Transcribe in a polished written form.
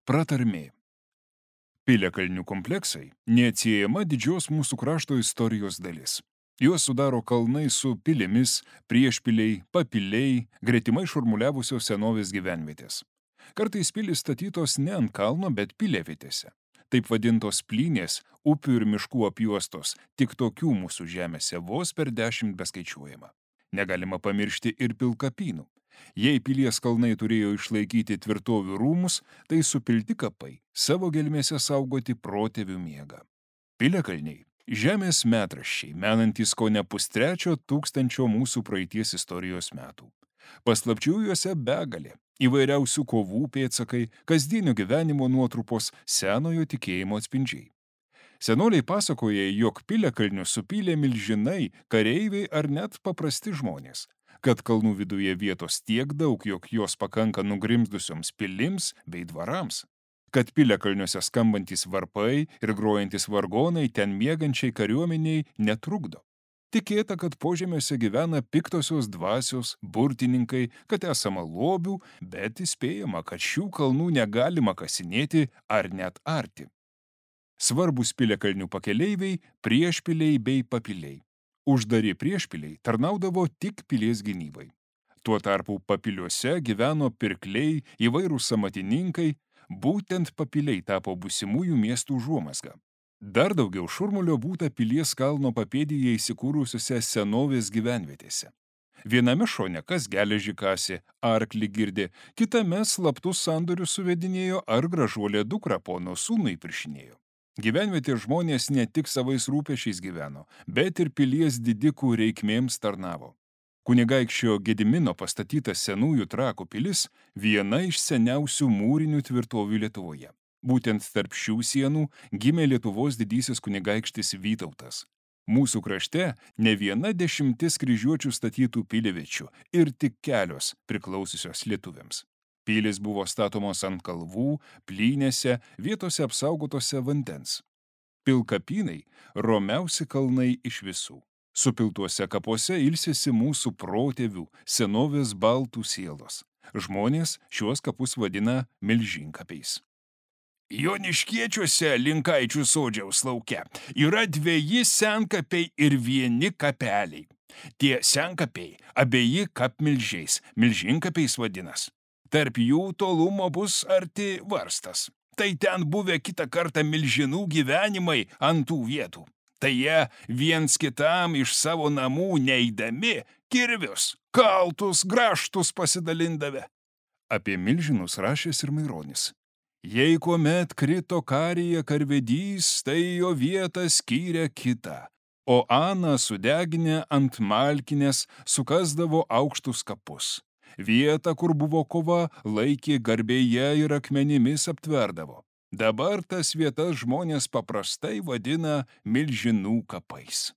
Pratarmė. Piliakalnių kompleksai neatsiejama didžios mūsų krašto istorijos dalis. Juos sudaro kalnai su pilimis, priešpiliai, papiliai, gretimai šurmuliavusios senovės gyvenvietės. Kartais pilys statytos ne ant kalno, bet piliavietėse. Taip vadintos plynės, upių ir miškų apjuostos, tik tokių mūsų žemėse vos per 10 beskaičiuojama. Negalima pamiršti ir pilkapynų. Jei pilies kalnai turėjo išlaikyti tvirtovių rūmus, tai supilti kapai savo gelmėse saugoti protėvių miegą. Piliakalniai – žemės metraščiai, menantys kone pustrečio tūkstančio mūsų praeities istorijos metų. Paslapčių juose begalė, įvairiausių kovų pėdsakai, kasdienio gyvenimo nuotrupos, senojo tikėjimo atspindžiai. Senoliai pasakoja, jog piliakalnius supylė milžinai, kareiviai ar net paprasti žmonės, kad kalnų viduje vietos tiek daug, jog jos pakanka nugrimzdusioms pilims bei dvarams, kad piliakalniuose skambantys varpai ir grojantis vargonai ten miegančiai kariuomeniai netrukdo. Tikėta, kad požemiuose gyvena piktosios dvasios, burtininkai, kad esama lobių, bet įspėjama, kad šių kalnų negalima kasinėti ar net arti. Svarbus piliakalnių pakeleiviai, priešpiliai bei papiliai. Uždari priešpiliai tarnaudavo tik pilies gynybai. Tuo tarpu papiliuose gyveno pirkliai, įvairūs amatininkai, būtent papiliai tapo būsimųjų miestų užuomazga. Dar daugiau šurmulio būta pilies kalno papėdėje įsikūrusiuose senovės gyvenvietėse. Viename šone kas geležį kasė, arklį girdė, kitame slaptus sandorius suvedinėjo ar gražuolė dukrą pono sūnui piršinėjo. Gyvenvietės žmonės ne tik savais rūpešiais gyveno, bet ir pilies didikų reikmėms tarnavo. Kunigaikščio Gedimino pastatytas senųjų Trakų pilis viena iš seniausių mūrinių tvirtovių Lietuvoje. Būtent tarp šių sienų gimė Lietuvos didysis kunigaikštis Vytautas. Mūsų krašte ne viena 10 kryžiuočių statytų pilievičių ir tik kelios priklausiusios lietuviams. Pilys buvo statomos ant kalvų, plynėse, vietose apsaugotose vandens. Pilkapynai – romiausi kalnai iš visų. Supiltuose kapuose ilsisi mūsų protėvių, senovės baltų sielos. Žmonės šiuos kapus vadina milžinkapiais. Joniškiečiuose Linkaičių sodžiaus lauke yra 2 senkapiai ir 1 kapeliai. Tie senkapiai abieji kapmilžiais, milžinkapiais vadinas. Tarp jų tolumo bus arti varstas. Tai ten buvę kitą kartą milžinų gyvenimai ant tų vietų. Tai jie viens kitam iš savo namų neidami kirvius, kaltus, grąžtus pasidalindavę. Apie milžinus rašęs ir Maironis. Jei kuomet krito karyje karvedys, tai jo vietą skyrė kitą, o Ana sudeginę ant malkinės sukasdavo aukštus kapus. Vietą, kur buvo kova, laikė garbėje ir akmenimis aptverdavo. Dabar tas vietas žmonės paprastai vadina milžinų kapais.